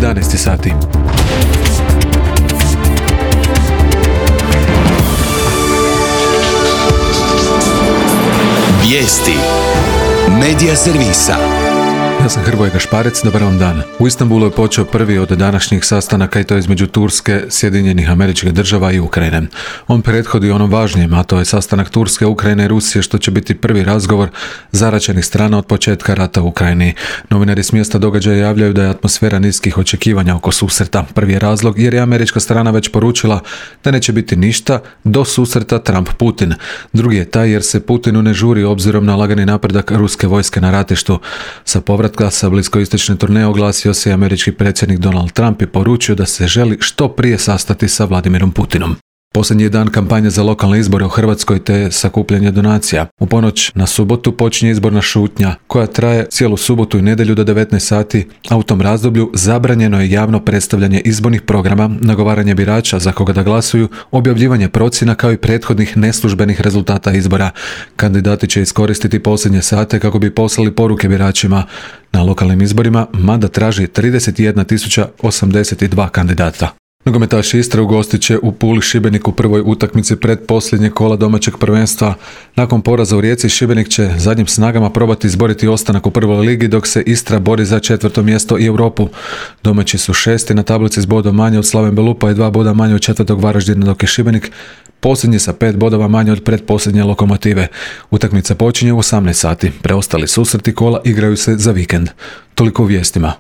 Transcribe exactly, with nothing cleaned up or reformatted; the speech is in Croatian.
jedanaest sati. Vijesti Medija servisa. Ja sam Hrvoje Gašparec, dobar vam dan. U Istanbulu je počeo prvi od današnjih sastanaka i to između Turske, Sjedinjenih Američkih Država i Ukrajine. On prethodi onom važnijem, a to je sastanak Turske, Ukrajine i Rusije, što će biti prvi razgovor zaraćenih strana od početka rata u Ukrajini. Novinari s mjesta događaja javljaju da je atmosfera niskih očekivanja oko susreta. Prvi je razlog jer je američka strana već poručila da neće biti ništa do susreta Trump-Putin. Drugi je taj jer se Putinu ne žuri obzirom na lagani napredak ruske vojske na ratištu. Sa povratka sa bliskoistočne turneje oglasio se i američki predsjednik Donald Trump i poručio da se želi što prije sastati sa Vladimirom Putinom. Posljednji je dan kampanje za lokalne izbore u Hrvatskoj te sakupljanje donacija. U ponoć na subotu počinje izborna šutnja koja traje cijelu subotu i nedjelju do devetnaest sati, a u tom razdoblju zabranjeno je javno predstavljanje izbornih programa, nagovaranje birača za koga da glasuju, objavljivanje procjena kao i prethodnih neslužbenih rezultata izbora. Kandidati će iskoristiti posljednje sate kako bi poslali poruke biračima. Na lokalnim izborima Mada traži trideset jedna tisuća osamdeset dva kandidata. Nogometaši Istre ugostit će u Puli Šibenik u prvoj utakmici pred posljednje kola domaćeg prvenstva. Nakon poraza u Rijeci, Šibenik će zadnjim snagama probati izboriti ostanak u prvoj ligi, dok se Istra bori za četvrto mjesto i Europu. Domaći su šesti na tablici s bodom manje od Slaven Belupa i dva boda manje od četvrtog Varaždina, dok je Šibenik posljednji sa pet bodova manje od pretposljednje Lokomotive. Utakmica počinje u osamnaest sati. Preostali susreti kola igraju se za vikend. Toliko u vijestima.